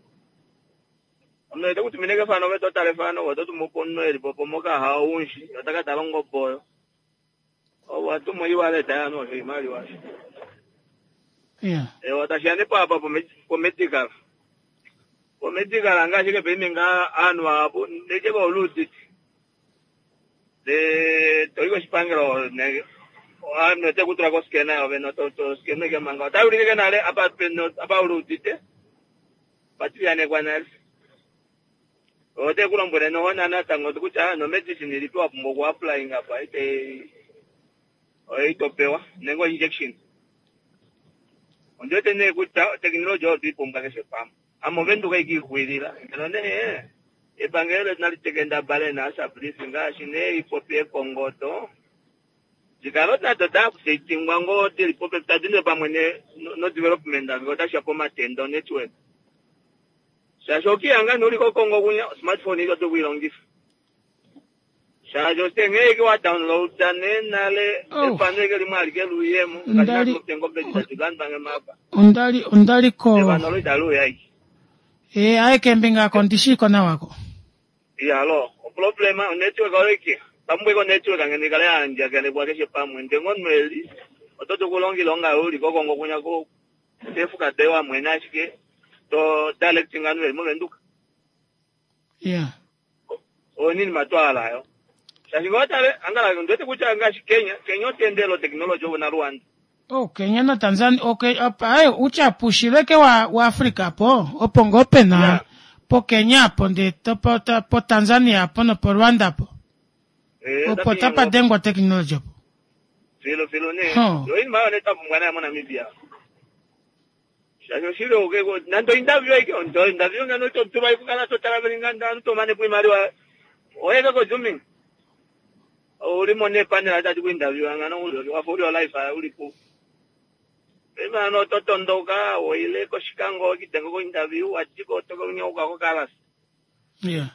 omunhu tekutumine kefano ove totala efano ove ototumu po omunhu elipo po mokahao unshi otakatala ongobe oyo ovo atumu e-wallet yanu osho imaliwa Yeah. ewa tashiya nee papa pomedical pomedical ngaashi ke paime nga aanhu vahapu necheko oluuditi de toyi koshipangelo aanhu otekutula koskena yove toskenwe ke manga otaulike ke nale apa peno apa uluudite patiyanekwa nale otekulombwele noho natango kutya nomedicine ilipi wapumbwa okuapplyinga apa ite oitopewa nenge injection ondiwete nee kutya oteknology oyo tuipumbwa keshe pamwe ame ovenduka ikiixwilila ngeno nee epangelo letu nali tekendabale naasabilisi ngaashi nee ipopi ekongoto dikale nado daupdatingwa ngoo dili popepi tadi pamwe no development nge otashiya pomatenda network shaashi okiyanga uli kokongo kunya smartphone ito tokuilongifa shaashi ositenge wa downloada nee nale efano ike limwe alike luyemo Ondali- ngombe ditatulandwange mapa Ondali ondali ko efano lo italuya iki e aye kembinga ako ndishiko nawako. iyalo oproblema onetwork oike pamwe ko network ngene ikale yaandjakanekwa keshe pamwe ndengo nweli oto kulonga ilonga uli kokongo kunya ko tefuka dewa mwene ashike to directing anu eli movenduka Yeah. onini matwalayo shaashi ngotale angala ndiwete kutya ngaashi Kenya Kenya otendelo technology ovo na Rwanda Oh, Kenya na Tanzania okay apa ayo uchapushileke wa wa Afrika po opo ngoo pena Yeah. po Kenya po nde to po, to, po Tanzania po no po Rwanda po Eh, opo tapadengwa technology po. filo filo ne Huh. yo inima yo netapumbwa nayo moNamibia shaashi oshili oke nando interview ike ndo interview ngano totulwa ikukala totala velinga anu tomane kuimaliwa oyeke ko zooming ulimo nepanela tati kuinterview ngano uli wafa uli life uli ku imano totondoka woile koshikango kitengo ko interview watiko tokonyauka ko kalas Yeah.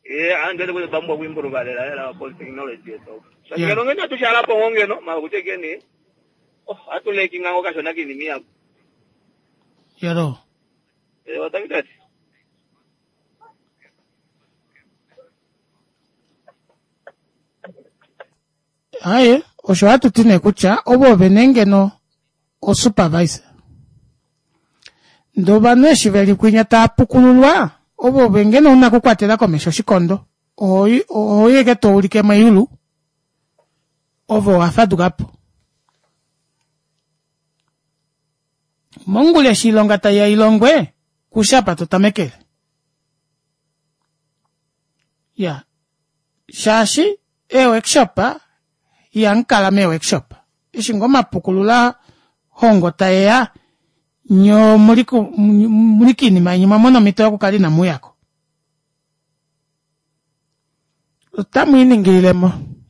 ye andu ete kuti bambwa kuimprova lela po technology yetu Yeah. ngeno ngeno tushala po ngeno makuti keni oh atuleki ngango kashona kinimi yako Yaro. eh watakitati Aye, osho hatu ti nee kutya ovo vene ngeno osupervisor. Ndee ovanhu eshi veli kwinya tava pukululwa ovo ove ngeno una okukwatela komesho oshikondo ohoyi ohoyi eke toulike meyulu ove owafadukapo. Mongula eshi oilonga taiya ilongwe kushi apa totamekele. Ya shaashi ee-workshop ihamukala mee-workshop eshi ngoo omapukulula hongo taeya nyee omuli muli kiinima yeni mwamona omhito yokukala inamuyako. Otamwiiningililemo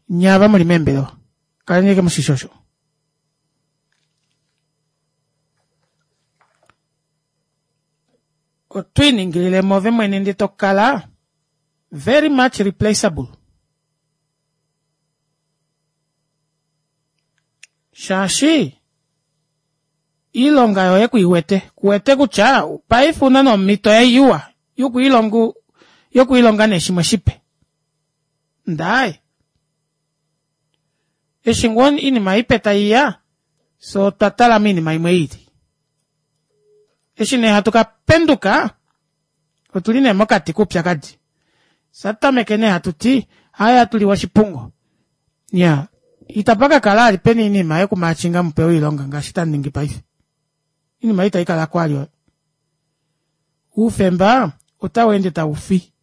nye ava muli meembelewa kaleni ashike mushishi osho. Otwiiningililemo ove mwene ndee tokala very much replaceable. Shaashi iilonga yoye kuiwete kuwete kutya paife una nomhito iwa yokwiilonga yokwiilonga nee shimwe shipe. Ndaaye eshi ngoo oinima ipe taiya So otwa tala moinima imwe ili. Eshi nee hatu ka penduka, otuli nee mokati koupyakadi. Satameke nee hatu ti, haya tuliwa oshipungo. Ya, itapa ka kala ali pena oinima yokumaachinga mupewe oilonga ngaashi tamu ningi paife. Oinima itai kala kwali oyo. Oufemba otau ende tau fi.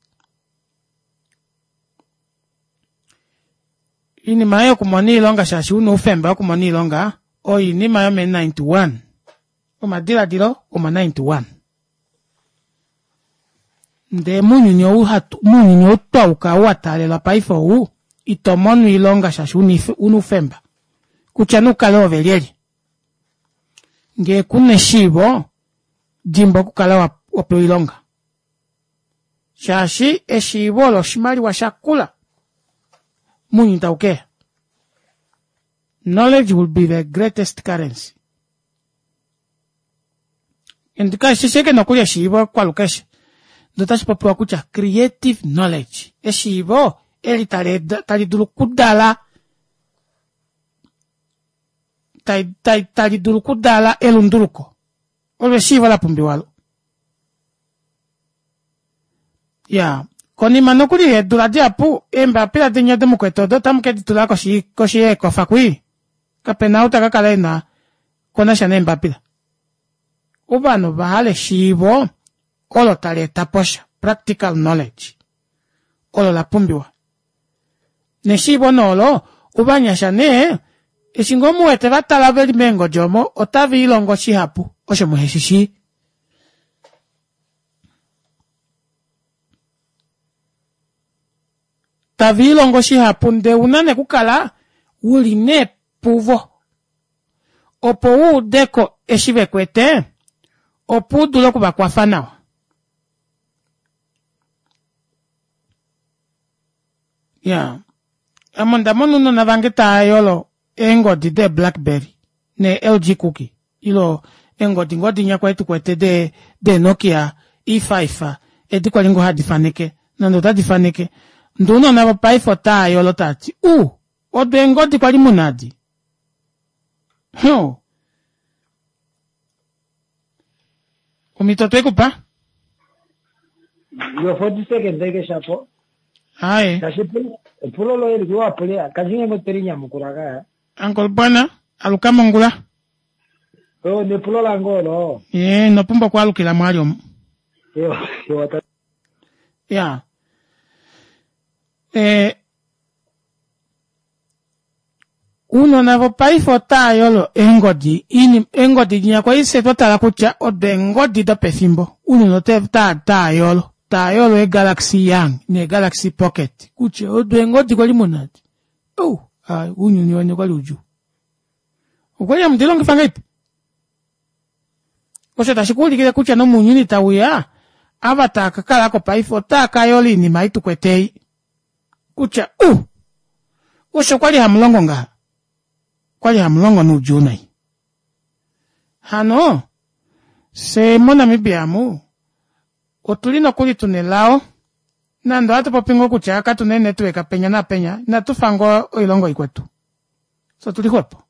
Oinima yokumona oilonga shaashi una oufemba wokumona oilonga oinima yome ninety-one. Omadiladilo omo ninety-one. Ndee mounyuni ou hatu, mounyuni ou twauka ou wa taalelwa paife ou, ito mono oilonga shaashi una oufemba. Kutya nukale ove lyelye. Ngee kuna eshiivo, dimbwa okukala wapewa oilonga. Shaashi eshiivo olo oshimaliwa shakula mounyuni taukeya. Knowledge will be the greatest currency. And kashi sheke nokuli eshiivo kwalukeshe. Ndee otashi popiwa kutya creative knowledge. Eshiivo eli tali dulu okudala tali dulu okudala elunduluko. Olo eshiivo la pumbiwalo. Ya, konima nokuli yeedula dihapu, eembapila dinya domukwetu odo otamu ke ditula koshi koshi yeekofa kwii. Kapena ou taka kala ena konasha neembapila. Ovanhu ova hala eshiivo olo tali eta posha, practical knowledge. Olo la pumbiwa. Neshiivo noolo, ovanyasha nee, eshi ngoo muwete vatala veli meengodi omo, otava ilongo shihapu, osho muheshi shii. Tava ilongo shihapu ndee una nekukala uli nee puvo. Opo uudeko eshi vekwete, opo udule okuvakwafa nawa. Ya, ame onda mona ounona vange tava yolo eengodi dee Blackberry nee L G Cookie ilo eengodi ngoo dinya kwali tukwete de de Nokia E five edi kwali ngoo hadi faneke nande otadi faneke ndee ounona vopaife otava yolo tavati u odo eengodi kwali muna adi ho omhito twekupa yo forty seconds eke shapo aye kashi epulo loye liwa pule kashi ngenge teri nyamukula ka Uncle Bwana aluka mongula oh nepulo lange olo ye nopumbwa okwaalukila mwali omu yo yo ya eh uunona vopaife otava yolo eengodi eengodi dinya kwali fye twatala kutya odo eengodi dopefimbo uunona otava yolo tava yolo eegalaxy Young neegalaxy Pocket kutya odo eengodi kwali muna adi oh ounyuni weni okwali udjuu okwali hamu dilongifa ngahelipi osho tashi kuulikile kutya nomounyuni tauya ava tava kakalako paife otava kayola oinima ei tukwete ei kutya u osho kwali hamulongo ngaha kwali hamulongo noudjuu nai hano fye moNamibia amu otuli nokuli tuna elao nande ohatu popi ngoo kutya katuna eenetwork penya napenya inatufa ngoo oilongo ikwetu so tuli xwepo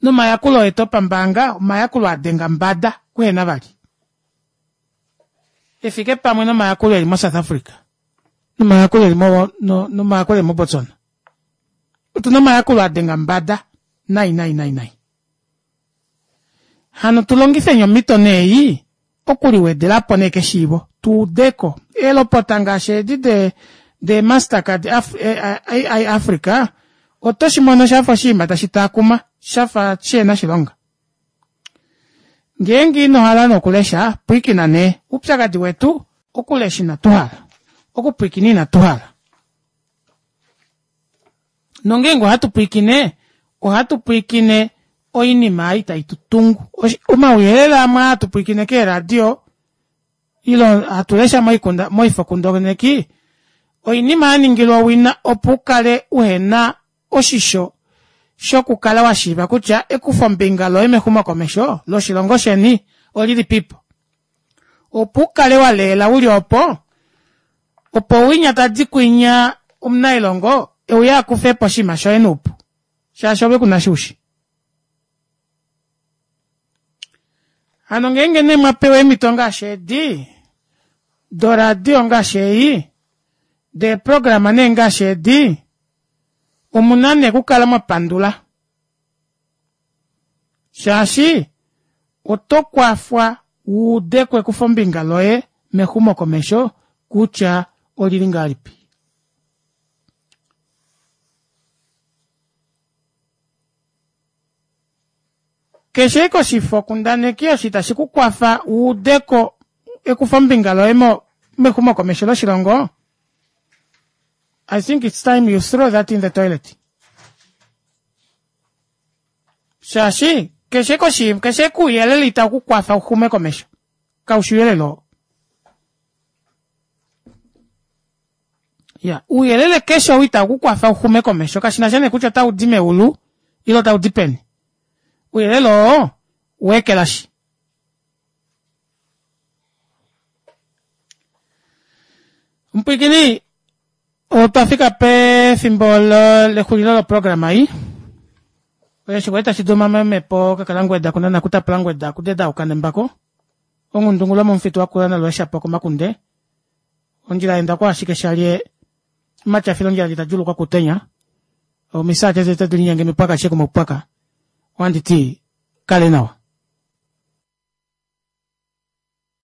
nomayakulo etu opambaanga omayakulo adenga mbada kuhena vali efike pamwe nomayakulo eli mo South Africa nomayakulo eli mo nomayakulo eli mo Botswana otuna omayakulo adenga mbada nai nai nai nai hano tulongifeni omhito nee okuliwedelapo nee keshiivo tuudeko eelopota ngaashi edi de de Mastercard A I Africa oto shimono shafa oshinima tashi taakuma shafa shihena shilonga ngeenge inohala nokulesha pwiikina nee oupyakadi wetu okulesha inatuhala okupwiikina inatuhala nongeenge ohatu pwiikine ohatu pwiikine oinima ei tai tutungu omauyelele amwe hatu pwiikine keeradio ilo hatu lesha moifokundaneki oinima yaningilwa owina opo ukale uhena oshisho shokukala washiiva kutya ekufombinga loye mexumokomesho loshilongo sheni olili pipo opo ukale waleela uli opo opo winya tadi kwinya omunailongo euya akufepo oshinima shoye noupu shaashi ove kuna shuushi. Hano ngeenge nee mwapewa eemhito ngaashi edi doradio ngaashi ei deeprograma nee ngaashi edi omuna nee okukala mwapandula shaashi oto kwafwa wuudeko ekufombinga loye mexumokomesho kutya olili ngahelipi. Keshe ashike oshifokundaneki osho itashi kukwafa wuudeko ekufombinga loye mo mexumokomesho loshilongo, I think it's time you throw that in the toilet. Shaashi keshe koshi keshe kuuyelele itau kukwafa uxume komesho kaushi ouyelele oo. Ya, ouyelele keshe ou itau kukwafa uxume komesho kashinasha nee kutya otaudi meulu ile otaudi peni. Ouyelele oo weekelashi. Omupwiikini otwa fika pefimbo lexulilo loprograma ei. Osho kwali tashi duma momhepo kakalangweda kunana kutapulangweda kudedauka nembako ongundungula momufitu wakula nalweeshapo komakunde ondjila yenda kwa ashike shalye matyafilo ondjila nditadjulukwa kutenya omisaate tete tadi linyenge mipwaka sheke mopwaka ohanditi kale nawa.